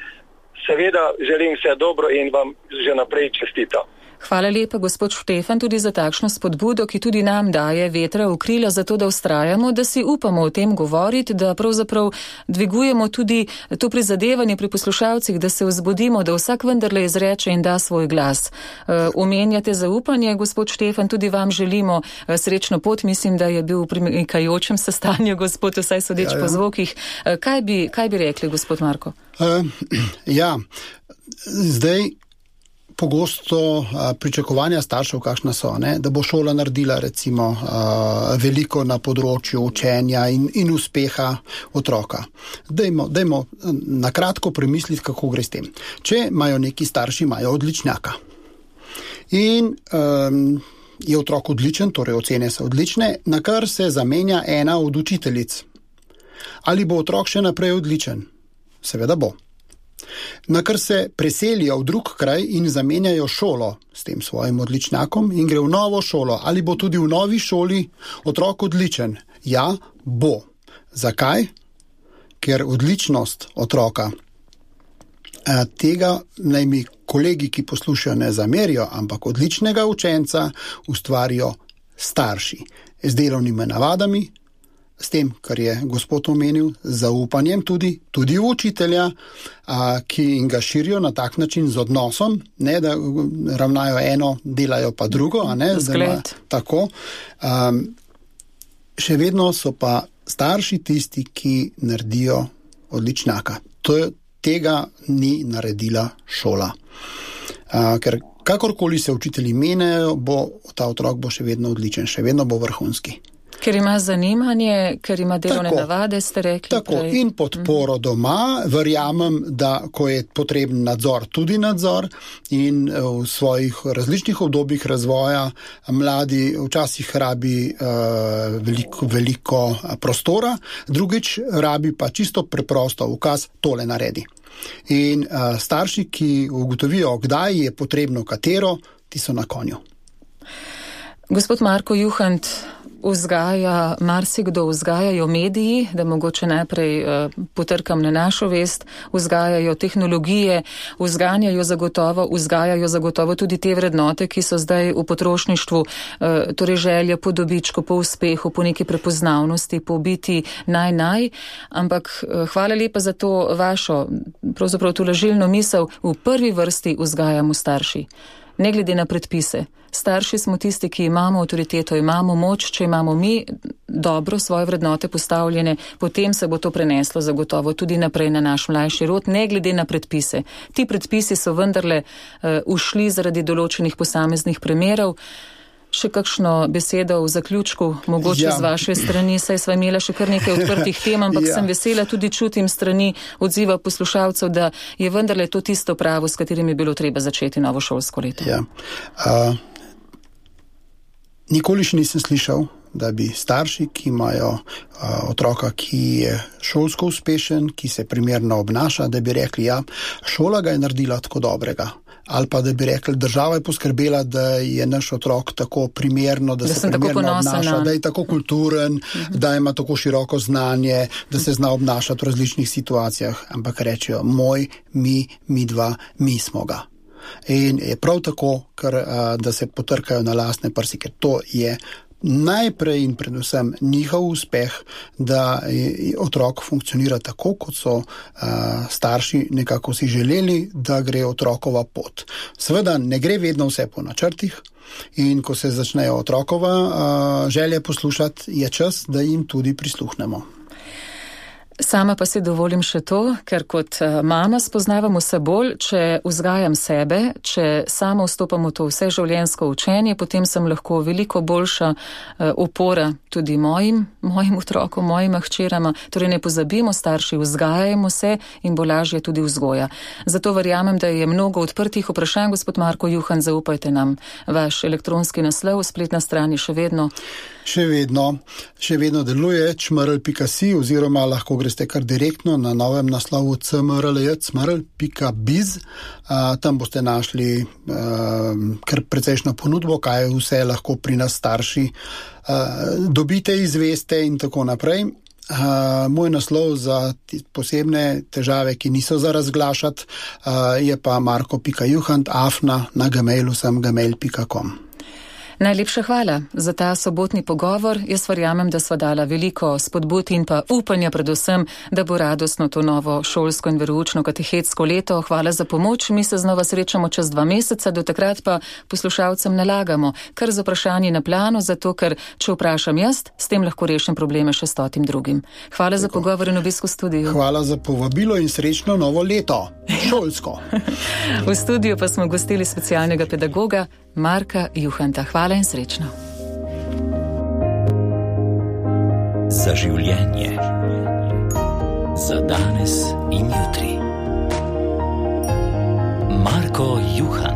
Seveda želim vse dobro in vam že naprej čestitam. Hvala lepa, gospod Štefan, tudi za takšno spodbudo, ki tudi nam daje vetra v krila, zato da vztrajamo, da si upamo o tem govoriti, da pravzaprav dvigujemo tudi to prizadevanje pri poslušalcih, da se vzbudimo, da vsak vendarle izreče in da svoj glas. Omenjate zaupanje, gospod Štefan, tudi vam želimo srečno pot. Mislim, da je bil v premikajočem se stanju, gospod, vsaj sodeč po zvokih. Kaj bi rekli, gospod Marko? Zdaj pogosto pričakovanja staršev, kakšna so, ne? Da bo šola naredila recimo veliko na področju učenja in uspeha otroka. Dajmo na kratko premisliti, kako gre s tem. Če imajo neki starši, imajo odličnjaka in je otrok odličen, torej ocene so odlične, na kar se zamenja ena od učiteljic. Ali bo otrok še naprej odličen? Seveda bo. Na kar se preselijo v drug kraj in zamenjajo šolo s tem svojim odličnjakom in gre v novo šolo. Ali bo tudi v novi šoli otrok odličen? Ja, bo. Zakaj? Ker odličnost otroka, tega naj mi kolegi, ki poslušajo, ne zamerijo, ampak odličnega učenca ustvarijo starši z delovnimi navadami, s tem, kar je gospod omenil, zaupanjem tudi v učitelja, ki jim ga širijo na tak način z odnosom, ne da ravnajo eno, delajo pa drugo, a ne, tako. Še vedno so pa starši tisti, ki naredijo odličnjaka. Tega ni naredila šola. Ker kakorkoli se učitelji menjajo, ta otrok bo še vedno odličen, še vedno bo vrhunski. Ker ima zanimanje, ker ima delovne navade, ste rekli. Tako, in podporo doma. Verjamem, da ko je potreben nadzor, tudi nadzor in v svojih različnih obdobjih razvoja mladi včasih rabi veliko prostora, drugič rabi pa čisto preprosto ukaz, tole naredi. In starši, ki ugotovijo, kdaj je potrebno katero, ti so na konju. Gospod Marko Juhant, marsikdo vzgajajo mediji, da mogoče najprej potrkam na našo vest, vzgajajo tehnologije, vzgajajo zagotovo tudi te vrednote, ki so zdaj v potrošništvu, torej želja po dobičku, po uspehu, po neki prepoznavnosti, po biti ampak hvala lepa za to vašo, pravzaprav tolažilno misel, v prvi vrsti vzgajamo starši. ne glede na predpise. Starši smo tisti, ki imamo avtoriteto, imamo moč, če imamo mi dobro svoje vrednote postavljene, potem se bo to preneslo zagotovo tudi naprej na naš mlajši rod, ne glede na predpise. Ti predpisi so vendarle ušli zaradi določenih posameznih primerov. Še kakšno besedo v zaključku, mogoče z vaše strani, saj sva imela še kar nekaj odprtih tem, ampak sem vesela, tudi čutim strani odziva poslušalcev, da je vendarle to tisto pravo, s katerim je bilo treba začeti novo šolsko leto. Nikoli še nisem slišal, da bi starši, ki imajo otroka, ki je šolsko uspešen, ki se primerno obnaša, da bi rekli, šola ga je naredila tako dobrega. Ali pa da bi rekli, država je poskrbela, da je naš otrok tako primerno, da se primerno obnaša, da je tako kulturen, da ima tako široko znanje, da se zna obnašati v različnih situacijah, ampak rečejo, mi dva, mi smo ga. In je prav tako, da se potrkajo na lastne prsi, ker to je najprej in predvsem njihov uspeh, da otrok funkcionira tako, kot so starši nekako si želeli, da gre otrokova pot. Seveda ne gre vedno vse po načrtih in ko se začnejo otrokova želje poslušati, je čas, da jim tudi prisluhnemo. Sama pa si dovolim še to, ker kot mama spoznavam vse bolj, če vzgajam sebe, če sama vstopam v to vseživljenjsko učenje, potem sem lahko veliko boljša opora tudi mojim otrokom, mojima hčerama. Torej ne pozabimo, starši, vzgajajmo se in bo lažje tudi vzgoja. Zato verjamem, da je mnogo odprtih vprašanj. Gospod Marko Juhant, zaupajte nam vaš elektronski naslov, spletna stran je še vedno. Še vedno deluje cmrl.si oziroma lahko greste kar direktno na novem naslovu cmrl.biz. Tam boste našli kar precejšno ponudbo, kaj vse lahko pri nas starši dobite, izveste in tako naprej. Moj naslov za posebne težave, ki niso za razglašati, je pa marko.juhant@gmail.com. Najlepša hvala za ta sobotni pogovor. Jaz verjamem, da sva dala veliko spodbud in pa upanja predvsem, da bo radostno to novo šolsko in veroučno katehetsko leto. Hvala za pomoč. Mi se znova srečamo čez 2 meseca, do takrat pa poslušalcem nalagamo kar z vprašanji na planu, zato ker če vprašam jaz, s tem lahko rešim probleme še 100 drugim. Hvala za pogovor in obisk v studiu. Hvala za povabilo in srečno novo leto. Šolsko. V studiu pa smo gostili specialnega pedagoga Marka Juhanta. Hvala in srečno. Za življenje. Za danes in jutri. Marko Juhant.